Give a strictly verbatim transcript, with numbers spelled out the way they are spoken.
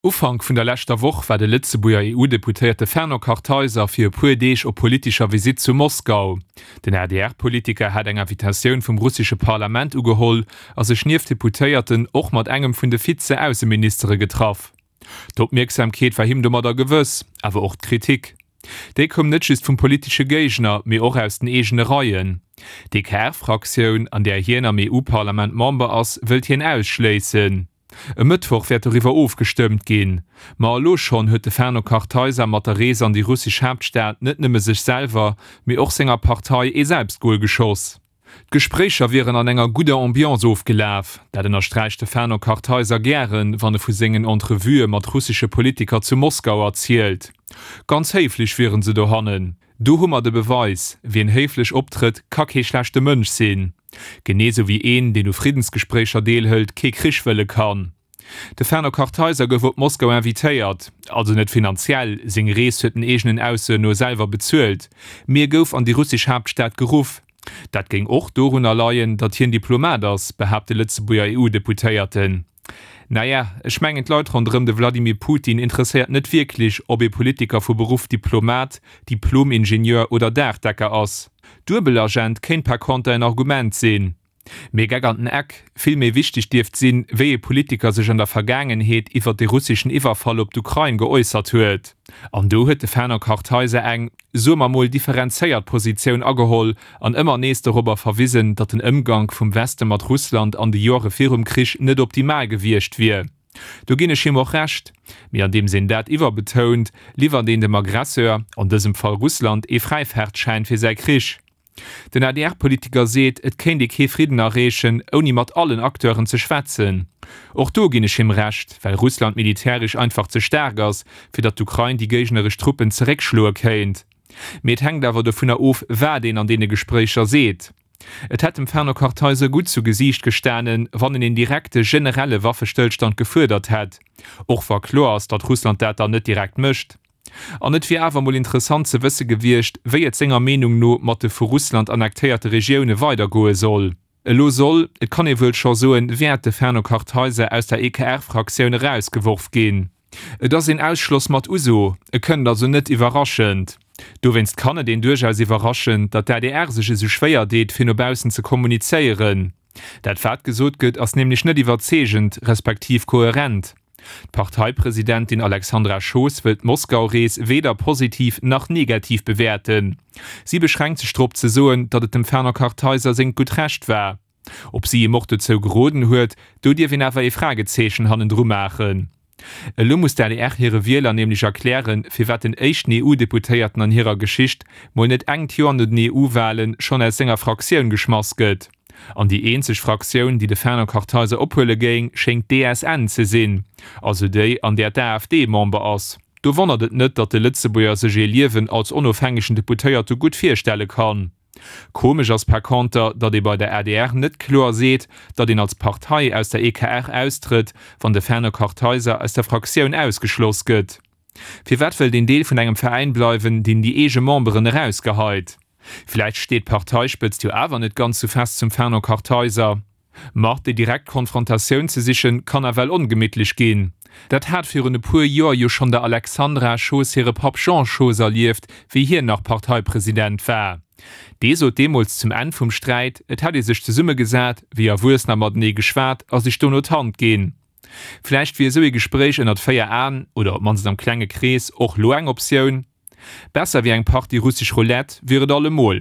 Ufank vun der leschter Woch war de Lëtzebuerger E U-Deputéierte Fernand Kartheiser fir e puer Deeg op politescher Visitt zu Moskau. Den A D R-Politiker hat eng Invitatioun vum russesche Parlament ugeholl a sech nieft Deputéierten och mat engem vun de Vize-Ausseministere getraff. D'Opmierksamkeet war him domadder gewëss, awer och d'Kritik. Déi koum net just vum politesche Géigner, mee och aus den eegene Reien. D'E K R-Fraktioun, an där hien am E U-Parlament Member ass, wëllt hien ausschléissen. E Mëttwoch wäert doriwwer ofgestëmmt ginn. Ma elo schonn huet de Fernand Kartheiser mat der Rees an déi russesch Haaptstad net nëmme sech selwer, mee och senger Partei ee Selbstgol geschoss. D'Gespréicher wieren an enger gudder Ambiance ofgelaf. Dat ënnersträicht de Fernand Kartheiser gären, wann e vu sengen Entrevuë mat russesche Politiker zu Moskau erzielt. Ganz héiflech wieren se dohannen. Do hu mer de Beweis, wien héiflech optrëtt, ka kee schlechte Mënsch sinn. Genee sou wéi een, deen u Friddensgespréicher deelhëlt, kee Krich wëlle kann. De Fernand Kartheiser gouf op Moskau invitéiert, also net finanziell, seng Rees huet en eegenen Aussoen no selwer bezuelt, mee e gouf an déi russesch Haaptstad geruff. Dat géing och dorunner leien, datt hien Diplomat ass, behaapt de Lëtzebuerger E U-Deputéierten. Naja, ech mengen d'Leit ronderëm de Vladimir Putin interesséiert net wierklech, ob ee Politiker vu Beruff Diplomat, Diplom-Ingenieur oder Daachdecker ass. Duebelagent kéint par conter en Argument sinn. Mee Geck an den Eck, vill méi wichteg dierft sinn, wéi ee Politiker sech an der Vergaangenheet iwwer de russeschen Iwwerfall op d'Ukrain geäussert huet. An do huet de Fernand Kartheiser eng, soe mer mol, differenzéiert Positioun ageholl an ëmmer nees dorobber verwisen, datt den Ëmgank vum Weste mat Russland an de Jore virum Krich net optimal gewiescht wier. Do ginn ech him och Recht. Mee andeems een dat iwwerbetount, liwwert een dem Aggresseur, an dësem Fall Russland, ee Fräifaartschäin fir säi Krich. Den A D R-Politiker seet, et kéint ee kee Fridden erreechen, ouni mat allen Acteuren ze schwätzen. Och do ginn ech him Recht, well Russland militäresch einfach ze staark ass, fir datt d'Ukrain déi géigneresch Truppen zeréckschloe kéint. Mee et hänkt awer dovunner of, wat een an deene Gespréicher seet. Et hätt dem Fernand Kartheiser gutt zu Gesiicht gestanen, wann en een direkte generelle Waffestëllstand gefuerdert hätt, och wa kloer ass, datt Russland dat dann net direkt mécht. An et wier awer mol interessant ze wësse gewiescht, wéi et senger Meenung no mat de vu Russland annektéierte Regioune weidergoe soll. Elo soll, et kann ee wuel scho soen, wäert de Fernand Kartheiser aus der E K R-Fraktioun erausgeworf ginn. Et ass een Ausschloss mat Uso, e kënnt also net iwwerraschend. Dowéinst kann et een duerchaus iwwerraschen, datt d'A D R sech esou schwéier deet, fir no baussen ze kommunizéieren. Dat wat gesot gëtt, ass nämlech net iwwerzeegend, respektiv koherent. D'Parteipresidentin Alexandra Schoos wëllt d'Moskau-Rees weder positiv nach negativ bewäerten. Si beschränkt sech drop ze soen, datt et dem Fernand Kartheiser sengt gutt Recht war. Ob si him och dozou geroden huet, do dierf een awer ee Fragezeechen hannendru maachen. Elo muss d'A D R hire Wieler nämlech erklären, firwat den éischten E U-Deputéierten an hirer Geschicht mol net engt Joer no den E U-Walen schonn aus senger Fraktioun geschmass gëtt. An déi eenzeg Fraktioun, déi de Fernand Kartheiser ophuele géing, schéngt d'E S N ze sinn, also déi, an där d'A F D Member ass. Do wonnert et net, datt de Lëtzebuerger sech ee Liewen als onofhängegen Deputéierte gutt virstelle kann. Komesch ass par conter, datt ee bei der A D R net kloer seet, datt een als Partei aus der E K R austrëtt, wann de Fernand Kartheiser aus der Fraktioun ausgeschloss gëtt. Firwat wëllt een Deel vun engem Veräin bleiwen, deen déi eege Memberen erausgeheit? Vläicht steet d'Parteispëtzt jo awer net ganz sou fest zum Fernand Kartheiser. Ma déi direkt Konfrontatioun ze sichen, kann nawell ongemittlech ginn. Dat hat virun e puer Joer jo schonn der Alexandra Schoos hire Papp Jean Schoos erlieft, wéi hien nach Parteipresident war. Dee sot deemools zum Enn vum Sträit, et hätt ee sech zesummegesat, wéi Erwuessener matenee geschwat a sech dono d'Hand ginn. Vläicht wier esou ee Gespréich ënnert véier Aen, oder op d'mannst am klenge Krees, och lo eng Optioun? Besser wéi eng Partie russesch Roulette wier et allemol.